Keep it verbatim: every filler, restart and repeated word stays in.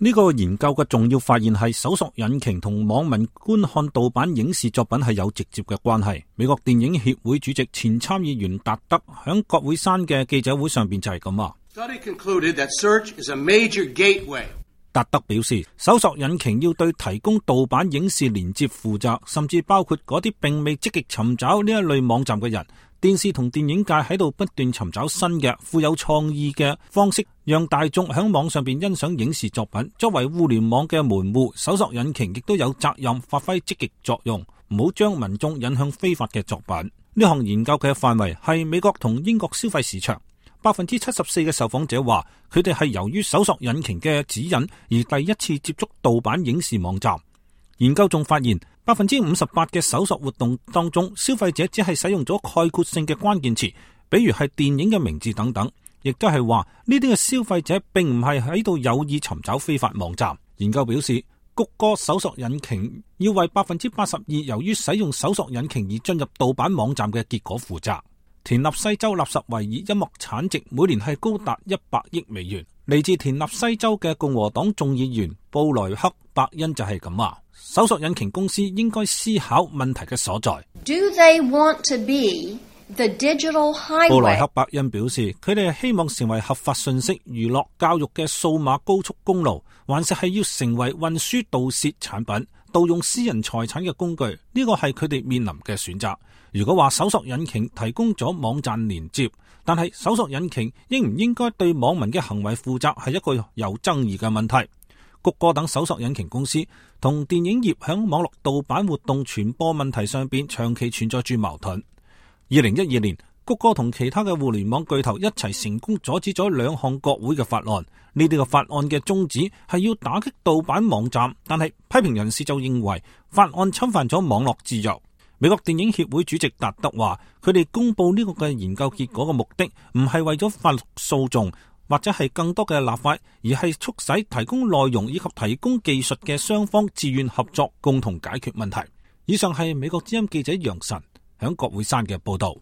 呢個研究嘅重要發現係搜索引擎同網民觀看盜版影視作品係有直接嘅關係。美國電影協會主席前參議員達德響國會山嘅記者會上邊就係咁話。達德表示，搜索引擎要對提供盜版影視連接負責，甚至包括嗰啲並未積極尋找呢一類網站嘅人。電視同電影界喺度不斷尋找新嘅富有創意嘅方式，讓大眾喺網上邊欣賞影視作品。作為互聯網嘅門戶，搜索引擎亦都有責任發揮積極作用，唔好將民眾引向非法嘅作品。呢項研究嘅範圍係美國同英國消費市場。百分之七十四嘅受訪者話，佢哋係由於搜索引擎嘅指引而第一次接觸盜版影視網站。研究仲發現，百分之五十八嘅搜索活動當中，消費者只係使用咗概括性嘅關鍵詞，比如係電影嘅名字等等，亦都係話呢啲嘅消費者並唔係喺度有意尋找非法網站。研究表示，谷歌搜索引擎要為百分之八十二由於使用搜索引擎而進入盜版網站嘅結果負責。田納西州納什維爾音樂產值每年係高達一百億美元。嚟自田納西州嘅共和黨眾議員布萊克伯恩就係咁話，搜索引擎公司應該思考問題嘅所在。Do they want to be the digital highway? 布萊克伯恩表示，佢哋係希望成為合法信息、娛樂、教育嘅數碼高速公路，還是係要成為運輸盜竊產品、盜用私人財產嘅工具？呢個係佢哋面臨嘅選擇。如果話搜索引擎提供咗網站連接，但係搜索引擎應唔應該對網民嘅行為負責，係一個有爭議嘅問題。谷歌等搜索引擎公司同電影業響網絡盜版活動傳播問題上邊長期存在住矛盾。二零一二年，谷歌同其他嘅互聯網巨頭一齊成功阻止咗兩項國會嘅法案。呢啲嘅法案嘅宗旨係要打擊盜版網站，但係批評人士就認為法案侵犯咗網絡自由。美國電影協會主席達德話，佢哋公布呢個嘅研究結果嘅目的唔係為咗法律訴訟或者係更多嘅立法，而係促使提供內容以及提供技術嘅雙方自願合作，共同解決問題。以上係美國之音記者楊晨響國會山嘅報道。